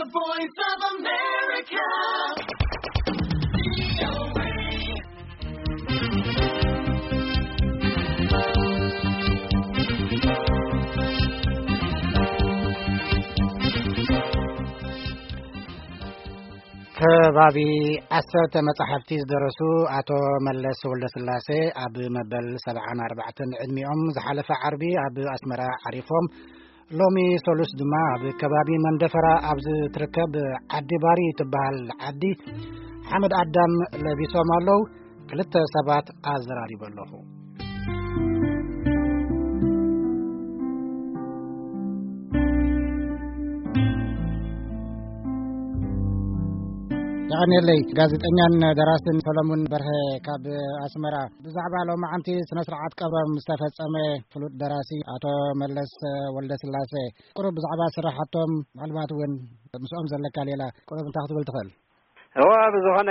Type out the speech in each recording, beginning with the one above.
The Voice of America. ከባቢ ዓሰርተ መጻሕፍቲ ዝደረሱ ኣቶ መለስ ወልደስላሴ፣ ኣብ መበል ሰብዓን ኣርባዕተን ዕድሚኦም ዝሓለፈ ዓርቢ ኣብ ኣስመራ ዓሪፎም። ሎሚ ሰሉስ ድማ ኣብ ከባቢ መንደፈራ ኣብ ዝትርከብ ዓዲ ባሪ ትበሃል ዓዲ ሓመድ ኣዳም ለቢሶም ኣለዉ። ክልተ ሰባት ኣዘራሪበ ኣለኹ። የቐንየለይ። ጋዜጠኛን ደራስን ሰሎሙን በርሀ ካብ ኣስመራ። ብዛዕባ ሎማዓንቲ ስነ ስርዓት ቀብሮም ዝተፈጸመ ፍሉጥ ደራሲ ኣቶ መለስ ወልደስላሴ፣ ቁሩብ ብዛዕባ ስራሓቶም፣ ምናልባት እውን ምስኦም ዘለካ ሌላ ቁሩብ እንታይ ክትብል ትኽእል? እዋ፣ ብዝኾነ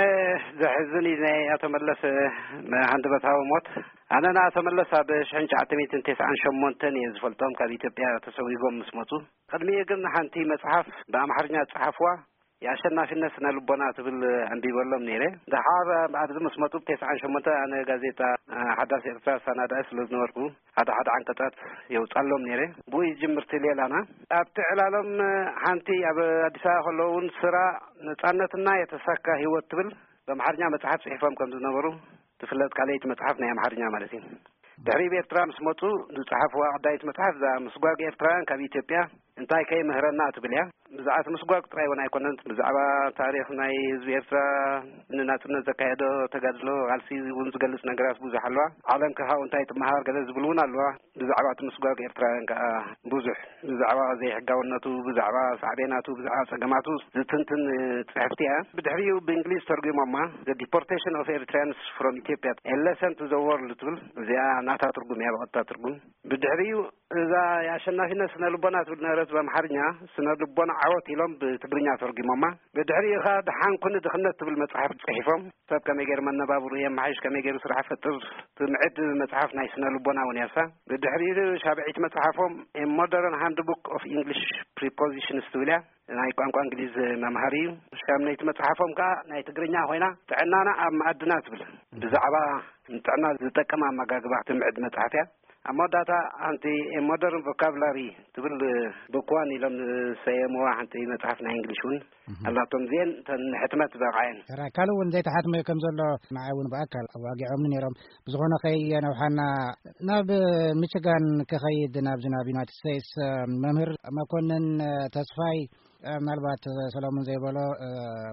ዘሕዝን እዩ ናይ ኣቶ መለስ፣ እ፣ ሃንደበታዊ ሞት። ኣነ ንኣቶ መለስ ኣብ ሽሕን ትሽዓተ ሚእትን ተስዓን ሸሞንተን እየ ዝፈልጦም፣ ካብ ኢትዮጵያ ተሰጒጎም ምስ መጹ። ቅድሚኡ ግን ሓንቲ መጽሓፍ ብኣምሓርኛ ዝጸሓፍዋ፣ የኣሸናፊነት ስነ ልቦና ትብል ኣንቢበሎም ነይረ። ደሓር ኣብዚ ምስ መጹ፣ ብ ተስዓን ሸሞንተ ኣነ ጋዜጣ፣ እ፣ ሓዳስ ኤርትራ ሳናዳኢ ስለ ዝነበርኩ፣ ሓደ ሓደ ዓንቀጻት የውጻሎም ነይረ። ብኡ ይጅምርቲ ሌላና። ኣብቲ ዕላሎም፣ እ፣ ሓንቲ ኣብ ኣዲስ ኣበባ ከለዉ እውን ስራ ነጻነትና የተሳካ ህይወት ትብል ብኣምሓርኛ መጽሓፍ ጽሒፎም ከም ዝነበሩ ትፍለጥ፣ ካልኣይቲ መጽሓፍ ናይ ኣምሓርኛ ማለት እዩ። ድሕሪ ኣብ ኤርትራ ምስ መጹ ዝጸሓፍዋ ቀዳይት መጽሓፍ እዛ ምስጓግ ኤርትራውያን ካብ ኢትዮጵያ እንታይ ከ ይምህረና ትብል እያ። ብዛዕባ እቲ ምስጓግ ጥራይ እውን ኣይኮነን፣ ብዛዕባ ታሪኽ ናይ ህዝቢ ኤርትራ፣ ንናጽነት ዘካየዶ ተጋድሎ፣ ቃልሲ እውን ዝገልጽ ነገራት ብዙሕ ኣለዋ። ዓለም ከ ካብኡ እንታይ ትመሃር ገለ ዝብል እውን ኣለዋ። ብዛዕባ እቲ ምስጓግ ኤርትራውያን ከኣ ብዙሕ፣ ብዛዕባ ዘይሕጋውነቱ፣ ብዛዕባ ሳዕቤናቱ፣ ብዛዕባ ጸገማቱ ዝትንትን ጽሕፍቲ እያ። ብድሕሪኡ ብእንግሊዝ ተርጒሞማ፣ The Deportation of Eritreans from Ethiopia, A Lesson to the World ትብል። እዚኣ ናታ ትርጉም እያ፣ ብቐጥታ ትርጉም። ብድሕሪኡ እዛ የኣሸናፊነት ስነ ልቦና ትብል ነበረት ብኣምሓርኛ፣ ስነ ልቦና ዓወት ኢሎም ብትግርኛ ተርጒሞማ። ብድሕሪኡ ኸኣ ደሓን ኩኒ ድኽነት ትብል መጽሓፍ ጽሒፎም። ሰብ ከመይ ገይሩ መነባብሩ የመሓይሽ፣ ከመይ ገይሩ ስራሕ ፈጥር ትምዕድ መጽሓፍ ናይ ስነ ልቦና እውን እያ እሳ። ብድሕሪኡ ሻብዒት መጽሓፎም A Modern Handbook of English Prepositions ትብል እያ፣ ናይ ቋንቋ እንግሊዝ መምሃሪ እዩ። ሻምነይቲ መጽሓፎም ከኣ ናይ ትግርኛ ኮይና ጥዕናና ኣብ መኣድና ትብል፣ ብዛዕባ ንጥዕና ዝጠቅም ኣመጋግባ ትምዕድ መጽሓፍ እያ። ኣብ መወዳእታ ሓንቲ A Modern Vocabulary ትብል ብኳን ኢሎም ዝሰየምዋ ሓንቲ መጽሓፍ ናይ እንግሊሽ እውን ኣላቶም። እዚአን እተን ንሕትመት በቕዐን። ሕራይ፣ ካልእ እውን ዘይተሓትመ ከም ዘሎ ንዓይ እውን ብኣካል ኣዋጊዖምኒ ነይሮም። ብዝኾነ ከየነውሓና ናብ ሚችጋን ክኸይድ፣ ናብዚ ናብ ዩናይትድ ስቴትስ፣ መምህር መኮንን ተስፋይ፣ ምናልባት ሰሎሙን ዘይበሎ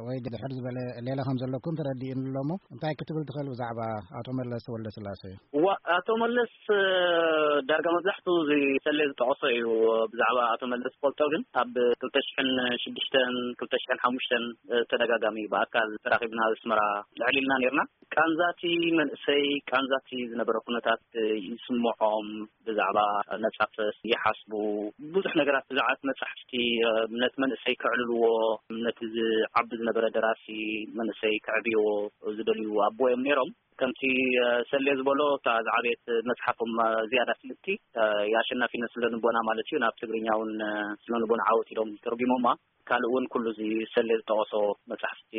ወይ ድሕር ዝበለ ሌላ ከም ዘለኩም ተረዲኡኒ ኣሎ እሞ፣ እንታይ ክትብል ትኽእል ብዛዕባ ኣቶ መለስ ወልደስላሴ? እዋ፣ ኣቶ መለስ፣ እ፣ ዳርጋ መብዛሕትኡ እዚ ሰሌ ዝጠቐሶ እዩ። ብዛዕባ ኣቶ መለስ ዝፈልጦ ግን ኣብ ክልተ ሽሕን ሽዱሽተን፣ ክልተ ሽሕን ሓሙሽተን፣ እ፣ ተደጋጋሚ ብኣካል ተራኺብና ኣብ ኣስመራ ልዕል ኢልና ነይርና። ቃንዛቲ መንእሰይ፣ ቃንዛቲ ዝነበረ ኩነታት፣ እ፣ ይስምዖም፣ ብዛዕባ ነጻ ፕረስ ይሓስቡ፣ ብዙሕ ነገራት ብዛዕባ መጻሕፍቲ፣ እ፣ ነቲ መንእሰይ ከዕልልዎ፣ ነቲ ዝዓቢ ዝነበረ ደራሲ መንእሰይ ከዕብይዎ ዝደልዩ ኣቦ እዮም ነይሮም። ከምቲ፣ እ፣ ሰሌ ዝበሎ፣ እታ ዝዓበየት መጽሓፎም፣ እ፣ ዝያዳ ፍልጥቲ፣ እ፣ የኣሸናፊነት ስነ ልቦና ማለት እዩ። ናብ ትግርኛ እውን፣ እ፣ ስነ ልቦና ዓወት ኢሎም ተርጒሞማ። ካልእ እውን ኩሉ እዚ ሰሌ ዝጠቐሶ መጻሕፍቲ፣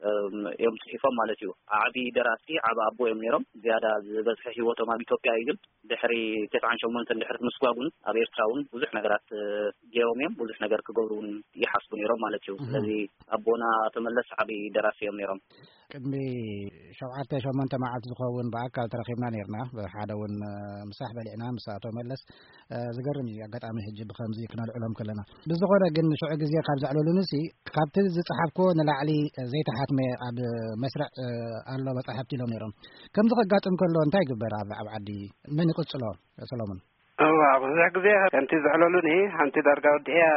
እ፣ እዮም ጽሒፎም ማለት እዩ። ዓቢ ደራሲ፣ ዓቢ ኣቦ እዮም ነይሮም። ዝያዳ ዝበዝሐ ህይወቶም ኣብ ኢትዮጵያ እዩ፣ ግን ድሕሪ ተስዓን ሸሞንተን ድሕሪ ምስጓግ እውን ኣብ ኤርትራ እውን ብዙሕ ነገራት፣ እ፣ ገይሮም እዮም። ብዙሕ ነገር ክገብሩ እውን ይሓስቡ ነይሮም ማለት እዩ። እህ። ስለዚ ኣቦና ኣቶ መለስ ዓቢ ደራሲ እዮም ነይሮም። ቅድሚ ሸውዓተ ሸሞንተ መዓልቲ ዝኸውን ብኣካል ተረኺብና ነይርና። ብሓደ እውን፣ እ፣ ምሳሕ በሊዕና ምስ ኣቶ መለስ፣ እ፣ ዝገርም እዩ። ኣጋጣሚ ሕጂ ብኸምዚ ክነልዕሎም ከለና። ብዝኾነ ግን ሽዑ ግዜ ካብ ዘዕለሉንሲ፣ ካብቲ ዝጸሓፍክዎ ንላዕሊ ዘይተሓትመ ኣብ መስርዕ፣ እ፣ ኣሎ መጻሕፍቲ ኢሎም ነይሮም። ከምዚ ከጋጥም ከሎ እንታይ ይግበር ኣብ፣ ኣብ ዓዲ? መን ይቕጽሎ፣ ሰሎሞን? እዋ፣ ብዙሕ ግዜ ከምቲ ዘዕለሉኒ፣ ሓንቲ ዳርጋ ወዲኤያ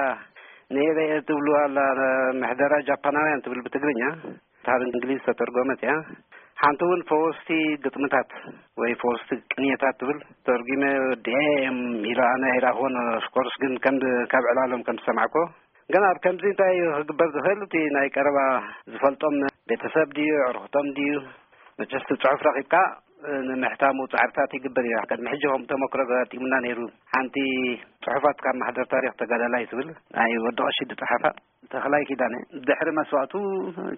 ንየበይ እየ ትብሉ ኣላ፣ ምሕደራ ጃፓናውያን ትብል ብትግርኛ፣ ካብ እንግሊዝ ዝተተርጎመት እያ። ሓንቲ እውን ፈወስቲ ግጥምታት ወይ ፈወስቲ ቅንየታት ትብል ተርጉመ ወዲኤ እዮም ኢሉ፣ ኣነ ኣይረኣኽዎን። ኦፍኮርስ ግን ከም ካብ ዕላሎም ከም ዝሰማዕኮ፣ ግን ኣብ ከምዚ እንታይ እዩ ክግበር ዝኽእል? እቲ ናይ ቀረባ ዝፈልጦም ቤተሰብ ድዩ፣ ኣዕሩኽቶም ድዩ? መቸስ እቲ ጽሑፍ ረኺብካ፣ እ፣ ንምሕታሙ ጻዕርታት ይግበር እዩ። ቅድሚ ሕጂ ከም ተመክሮ ኣጋጢሙና ነይሩ። ሓንቲ ጽሑፋት ካብ ማሕደር ታሪኽ ተጋዳላይ ትብል ናይ ወዲ ቀሺ ዝጸሓፋ ተኽላይ ኪዳነ፣ ድሕሪ መስዋእቱ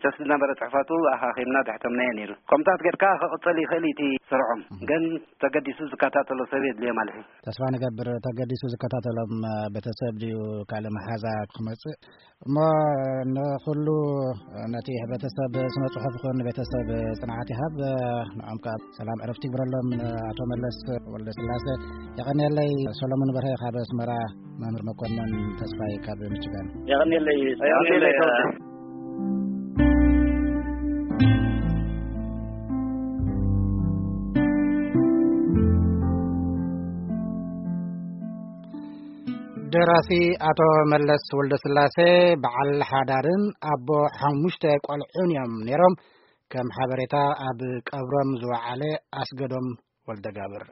ጨስ ዝነበረ ጽሑፋቱ ኣኻኺብና ደሕተምናዮ ነይሩ። ከምታት ጌርካ ክቕጽል ይኽእል እቲ ስርዖም፣ ግን ተገዲሱ ዝከታተሎ ሰብ የድልዮ ማለት እዩ። ተስፋ ንገብር ተገዲሱ ዝከታተሎም ቤተሰብ ድዩ ካልእ መሓዛ ክመጽእ እሞ ንኹሉ ነቲ ሕብረተሰብ ስነ ጽሑፍ ይኹን ቤተሰብ ጽንዓት ይሃብ። ንዖም ከኣ ሰላም ዕረፍቲ ይግበረሎም። ኣቶ መለስ ወልደ ስላሴ የቐንየለይ። ሰሎሞን በርሀ ካብ ኣስመራ፣ መምህር መኮንን ተስፋይ ካብ ምችጋን። የቐንየለይ። የቐንየለይ። ደራሲ ኣቶ መለስ ወልደ ስላሴ በዓል ሓዳርን ኣቦ ሓሙሽተ ቆልዑን እዮም ነይሮም። ከም ሓበሬታ ኣብ ቀብሮም ዝወዓለ ኣስገዶም ወልደ ጋብር።